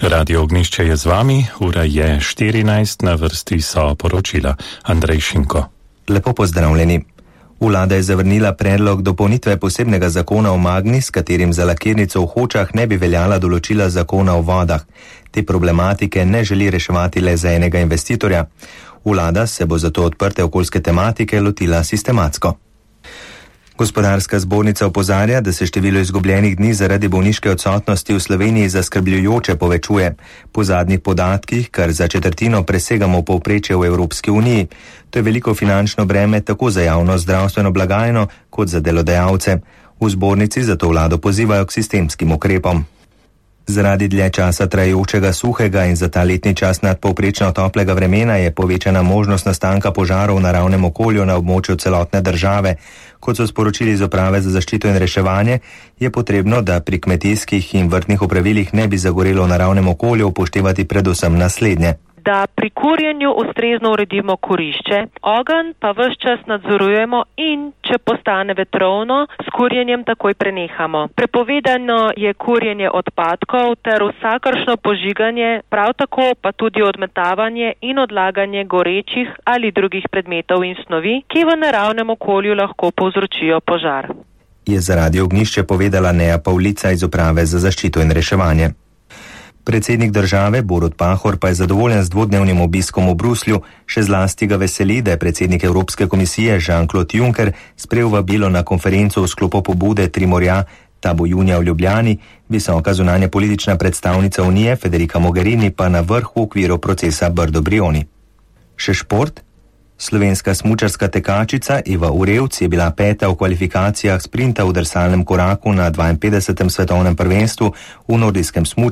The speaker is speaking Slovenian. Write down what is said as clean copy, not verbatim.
Radio Ognišče je z vami, ura je 14, na vrsti so poročila. Andrej Šinko. Lepo pozdravljeni. Vlada je zavrnila predlog dopolnitve posebnega zakona o Magni, s katerim za lakirnico v Hočah ne bi veljala določila zakona o vodah. Te problematike ne želi reševati le za enega investitorja. Vlada se bo zato odprte okoljske tematike lotila sistematsko. Gospodarska zbornica opozarja, da se število izgubljenih dni zaradi bolniške odsotnosti v Sloveniji zaskrbljujoče povečuje. Po zadnjih podatkih, kar za četrtino presegamo povprečje v Evropski uniji. To je veliko finančno breme tako za javno zdravstveno blagajno kot za delodajalce. V zbornici zato vlado pozivajo k sistemskim ukrepom. Zaradi dlje časa trajajočega suhega in za ta letni čas nadpovprečno toplega vremena je povečana možnost nastanka požarov v naravnem okolju na območju celotne države. Kot so sporočili iz Uprave za zaščito in reševanje, je potrebno, da pri kmetijskih in vrtnih opravilih ne bi zagorelo v naravnem okolju upoštevati predvsem naslednje. Da pri kurjenju ustrezno uredimo kurišče, ogenj pa ves čas nadzorujemo in, če postane vetrovno, s kurjenjem takoj prenehamo. Prepovedano je kurjenje odpadkov ter vsakršno požiganje, prav tako pa tudi odmetavanje in odlaganje gorečih ali drugih predmetov in snovi, ki v naravnem okolju lahko povzročijo požar. Je za Radio Ognišče povedala Neja Pavlica iz Uprave za zaščito in reševanje. Predsednik države Borut Pahor pa je zadovoljen z dvodnevnim obiskom v Bruslju, še zlasti ga veseli, da je predsednik Evropske komisije Jean-Claude Juncker sprejel vabilo na konferenco v sklopu pobude Tri morja, ta bo junija v Ljubljani, visoka zunanja politična predstavnica Unije Federica Mogherini pa na vrh v okviru procesa Brdo-Brioni. Še šport? Slovenska smučarska tekačica Eva Urevc je bila peta v kvalifikacijah sprinta v drsalnem koraku na 52. svetovnem prvenstvu v nordijskem smučanju